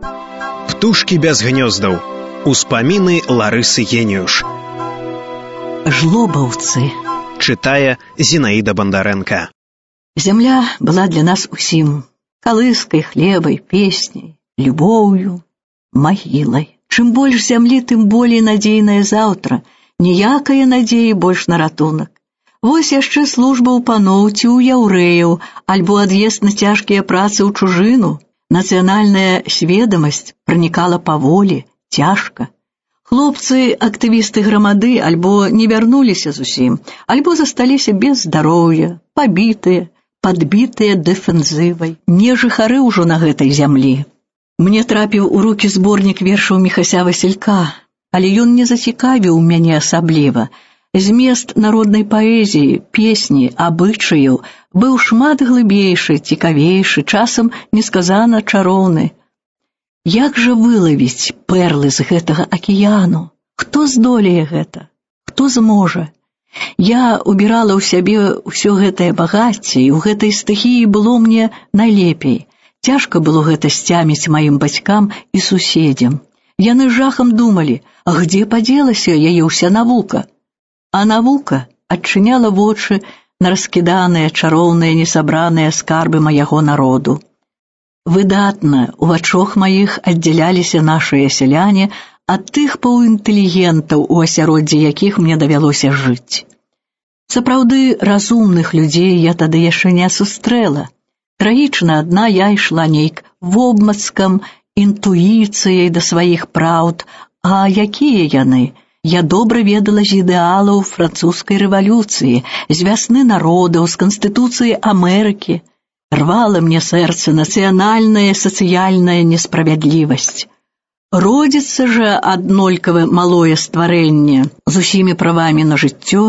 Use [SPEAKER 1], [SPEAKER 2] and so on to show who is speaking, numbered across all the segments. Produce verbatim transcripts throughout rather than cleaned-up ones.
[SPEAKER 1] Птушкі без гнёздаў. Успаміны Ларысы Геніюш.
[SPEAKER 2] Жлобаўцы.
[SPEAKER 1] Чытае Зінаіда Бандарэнка.
[SPEAKER 2] Зямля была для нас усім калыскай, хлебай, песняй, любоўю, магілай. Чым больш зямлі, тым болей надзейнае заўтра. Ніякае надзеі больш на ратунак. Вось яшчэ служба ў паноў ці ў яўрэяў, альбо ад'езд на цяжкія працы ў чужыну. Нацыянальная сведамасць пранікала паволі, цяжка. Хлопцы, актывісты грамады альбо не вярнуліся зусім, альбо засталіся без здароўя, пабітыя, падбітыя дэфензывай. Не жыхары ўжо на гэтай зямлі. Мне трапіў у рукі зборнік вершаў Міхася Васілька, але ён не зацікавіў мяне асабліва. Змест народнай паэзіі, песні, абычаяў быў шмат глыбейшы, цікавейшы, часам несказана чароўны. Як жа вылавіць перлы з гэтага акіяну? Хто здолее гэта? Хто зможа? Я убірала ў сябе ўсё гэтае багацце, і ў гэтай стыхіі было мне найлепей. Цяжка было гэта сцяміць маім бацькам і суседзям. Яны жахам думалі, а где падзелася яе ўся навука? А навука адчыняла вочы на раскіданыя, чароўныя, несабраныя скарбы майго народу. Выдатна у вачах маіх аддзяляліся нашыя сяляне ад тых паўінтэлігентаў, у асяроддзі якіх мне давялося жыць. Сапраўды разумных людзей я тады яшчэ не сустрэла. Трагічна адна я ішла нейк вобмацкам, інтуіцыяй да сваіх праўд. А якія яны? Я добра ведала з ідэалаў французскай рэвалюцыі, з вясны народаў, з Канстытуцыі Амерыкі. Рвала мне сэрца нацыянальная сацыяльная несправядлівасць. Родзіцца жа аднолькава малое стварэнне з усімі правамі на жыццё,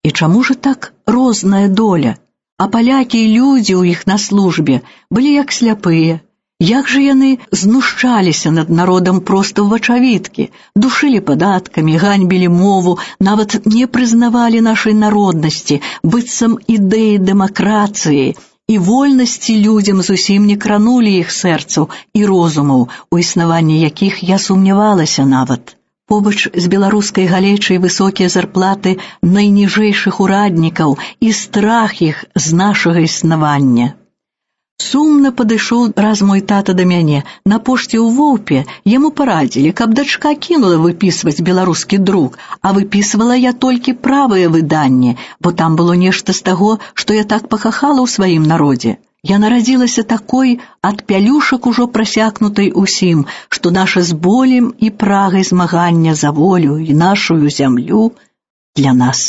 [SPEAKER 2] і чаму ж так розная доля? А палякі і людзі ў іх на службе былі як сляпыя. Як жа яны знушчаліся над народам проста ў вачавіткі, душылі падаткамі, ганьбілі мову, нават не прызнавалі нашай народнасці, быццам ідэі дэмакратыі і вольнасці людзям зусім не кранулі іх сэрцаў і розумаў, у існаванні якіх я сумнявалася нават. Побач з беларускай галечай высокія зарплаты найніжэйшых ураднікаў і страх іх з нашага існавання. Сумна падышоў раз мой тата да мяне. На пошце ў Воўпе яму парадзілі, каб дачка кінула выпісваць беларускі друк, а выпісвала я толькі правае выданне, бо там было нешта з таго, што я так пахахала ў сваім народзе. Я нарадзілася такой ад пялюшак ужо прасякнутай усім, што наша з болем і прагай змагання за волю і нашую зямлю для нас.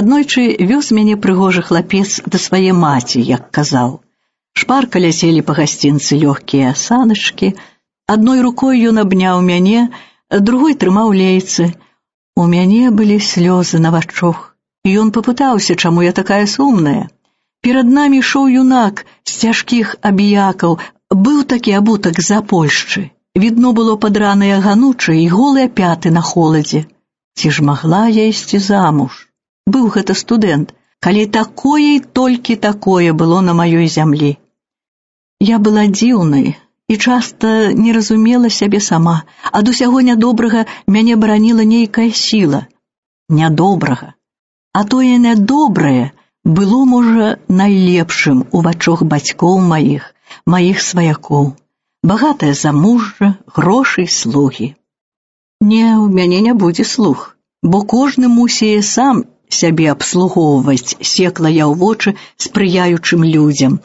[SPEAKER 2] Аднойчы вёз мяне прыгожы хлапец да свае маці, як казаў. Шпарка ляцелі па гасцінцы лёгкія асаначкі. Адной рукой ён абняў мяне, другой трымаў лейцы. У мяне былі слёзы на вачах. І ён папытаўся, чаму я такая сумная. Перад намі ішоў юнак з цяжкіх абіякаў. Быў такі абутак з-за Польшчы. Відно было падраныя ганучы і голыя пяты на холадзе. Ці ж магла я ісці замуж? Быў гэта студэнт, калі такое і толькі такое было на маёй зямлі. Я была дзіўнай і часта не разумела сябе сама. Ад усяго нядобрага мяне бараніла нейкая сіла. Нядобрага. А тое нядобрае было, можа, найлепшым у вачах бацькоў маіх, маіх сваякоў. Багатае замужжа, грошы і слугі. Не, у мяне не будзе слуг, бо кожны мусіе сам сябе абслугоўваць, секла я ў вочы спрыяючым людзям.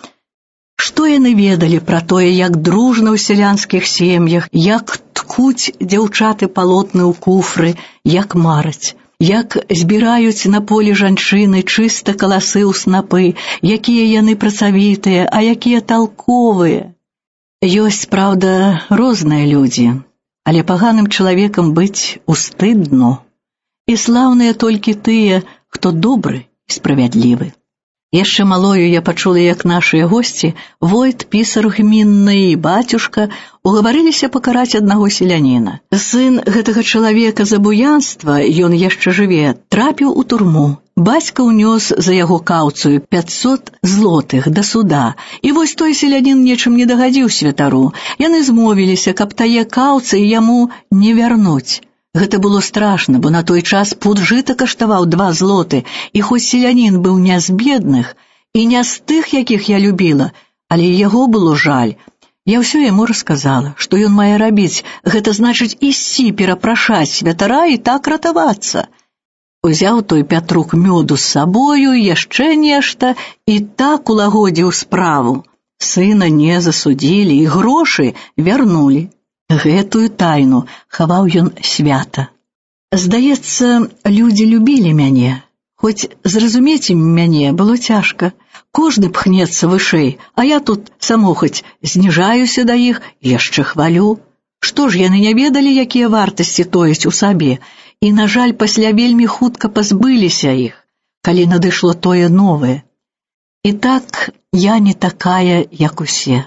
[SPEAKER 2] Што яны ведалі пра тое, як дружна ў сялянскіх сем'ях, як ткуць дзяўчаты палотны ў куфры, як мараць, як збіраюць на полі жанчыны чыста каласы ў снапы, якія яны працавітыя, а якія талковыя. Ёсць, праўда, розныя людзі, але паганым чалавекам быць устыдно. І слаўныя толькі тыя, хто добры і справядлівы. Яшчэ малою я пачула, як нашыя госці, войт, пісар гмінны і бацюшка, угаварыліся пакараць аднаго селяніна. Сын гэтага чалавека за буянства, ён яшчэ жыве, трапіў у турму. Бацька ўнёс за яго каўцыю пятьсот злотых да суда, і вось той селянін нечым не дагадзіў святару. Яны змовіліся, каб тае каўцы яму не вярнуць. Гэта было страшна, бо на той час пуд жыта каштаваў два злоты, і хоць селянін быў не з бедных і не з тых, якіх я любіла, але і яго было жаль. Я ўсё яму расказала, што ён мае рабіць, гэта значыць ісці перапрашаць святара і так ратавацца. Узяў той Пятрук мёду з сабою, яшчэ нешта, і так улагодзіў справу. Сына не засудзілі, і грошы вярнулі. Гэтую тайну хаваў ён свята. Здаецца, людзі любілі мяне, хоць зразумець ім мяне было цяжка. Кожны пхнецца вышэй, а я тут самохаць зніжаюся да іх і яшчэ хвалю. Што ж яны не ведалі, якія вартасці тояць у сабе? І, на жаль, пасля вельмі хутка пазбыліся іх, калі надышло тое новае. І так я не такая, як усе.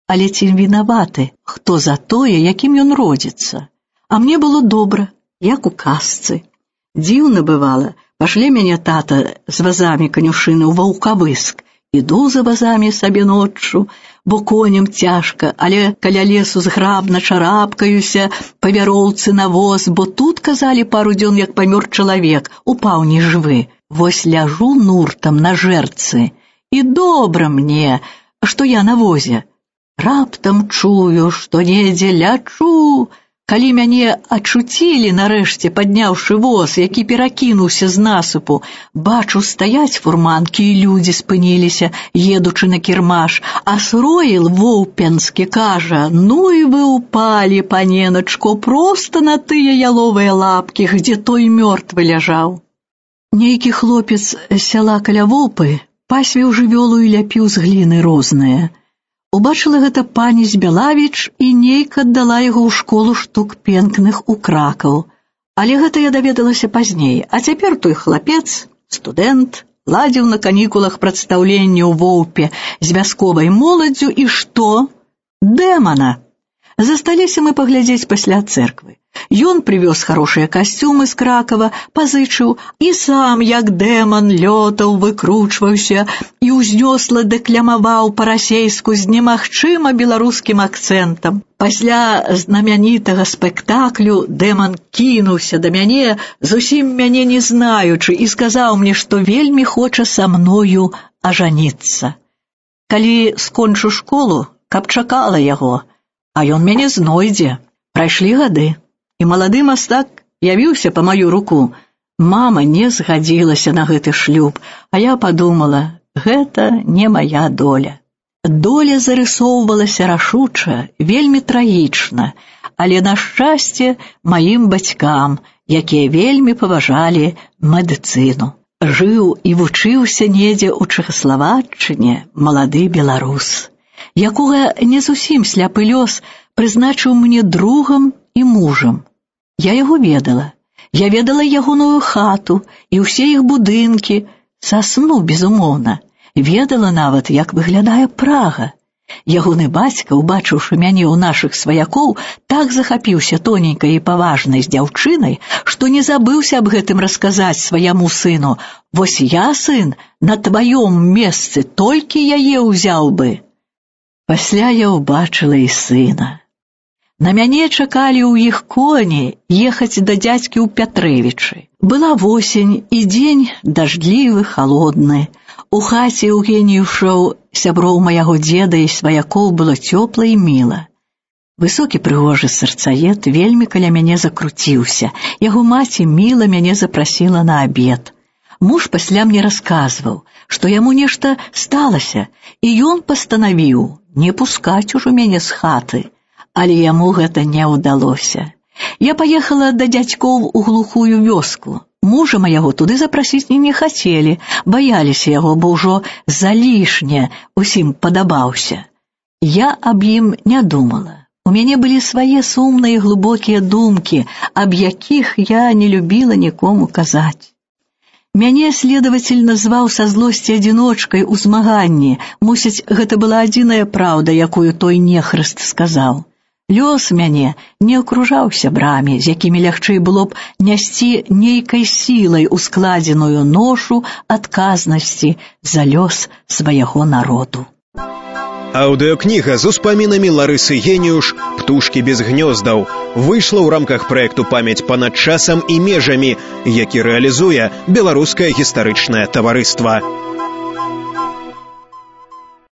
[SPEAKER 2] Але ці вінаваты, хто за тое, якім ён родзіцца? А мне было добра, як у казцы. Дзіўна бывала, пашле мяне тата з вазамі канюшыны ў Ваўкавыск. Іду за вазамі сабе ноччу, бо коням цяжка, але каля лесу зграбна чарапкаюся па вяроўцы на воз, бо тут, казалі, пару дзён, як памёр чалавек, упаў нежывы. Вось ляжу нуртам на жэрцы, і добра мне, што я на возе. Раптам чую, што недзе лячу. Калі мяне ачуцілі, нарэшце, падняўшы воз, які перакінуўся з насыпу, бачу, стаяць фурманкі, і людзі спыніліся, едучы на кірмаш, а Сроіл Воўпенскі кажа: «Ну і вы упалі, паненачко, проста на тыя яловыя лапкі, где той мёртвы ляжаў». Нейкі хлопец з сяла каля Воўпы пасвіў жывёлу і ляпіў з гліны розныя. Убачыла гэта пані Збялавіч і нейка аддала яго ў школу штук пенкных у Кракаў. Але гэта я даведалася пазней, а цяпер той хлапец, студэнт, ладзіў на канікулах прадстаўленне ў Воўпе з вясковай моладдзю, і што? Дэмана! Засталіся мы паглядзець пасля цэрквы. Ён прывёз хорошыя касцюмы з Кракава, пазычыў, і сам, як дэман, лётаў, выкручваўся і ўзнёсла дэклямаваў па-расейску з немагчыма беларускім акцэнтам. Пасля знамянітага спектаклю дэман кінуўся да мяне, зусім мяне не знаючы, і сказаў мне, што вельмі хоча са мною ажаніцца. Калі скончу школу, каб чакала яго, а ён мяне знойдзе. Прайшлі гады. І малады мастак явіўся па маю руку. Мама не згадзілася на гэты шлюб, а я падумала, гэта не мая доля. Доля зарысоўвалася рашуча, вельмі трагічна, але на шчасце маім бацькам, якія вельмі паважалі медыцыну. Жыў і вучыўся недзе ў Чэхаславаччыне малады беларус, якога не зусім сляпы лёс прызначыў мне другам і мужам. Я яго ведала. Я ведала ягоную хату і ўсе іх будынкі, са сну, безумоўна. Ведала нават, як выглядае Прага. Ягоны бацька, убачыўшы мяне ў нашых сваякоў, так захапіўся тоненькай і паважнай з дзяўчынай, што не забыўся аб гэтым расказаць сваяму сыну. Вось я, сын, на тваём месцы толькі яе ўзяў бы. Пасля я ўбачыла і сына. На мяне чакалі ў іх коні ехаць да дзядзькі ў Пятрэвічы. Была восень, і дзень дажджлівы, халодны. У хаце Еўгеніюшаў, сяброў маяго дзеда і сваякоў, было цёпла і міла. Высокі прыгожы сэрцаед вельмі каля мяне закруціўся. Яго маці міла мяне запрасіла на абед. Муж пасля мне расказваў, што яму нешта сталася, і ён пастанавіў не пускаць ужо мяне з хаты. Але яму гэта не ўдалося. Я паехала да дзядзькоў у глухую вёску. Мужа маяго туды запрасіць не хацелі, баяліся яго, бо ўжо залішне усім падабаўся. Я аб ім не думала. У мяне былі свае сумныя глыбокія думкі, аб якіх я не любіла нікому казаць. Мяне следавацель назваў са злосці адзіночкай у змаганні. Мусіць, гэта была адзіная праўда, якую той нехрыст сказаў. Лёс мяне не акружаў сябрамі, з якімі лягчэй было б нясці нейкай сілай ускладзеную ношу адказнасці за лёс свайго народу.
[SPEAKER 1] Аўдыёкніга з успамінамі Ларысы Геніюш «Птушкі без гнёздаў» выйшла ў рамках праекту «Памяць панад часам і межамі», які рэалізуе Беларускае гістарычнае таварыства.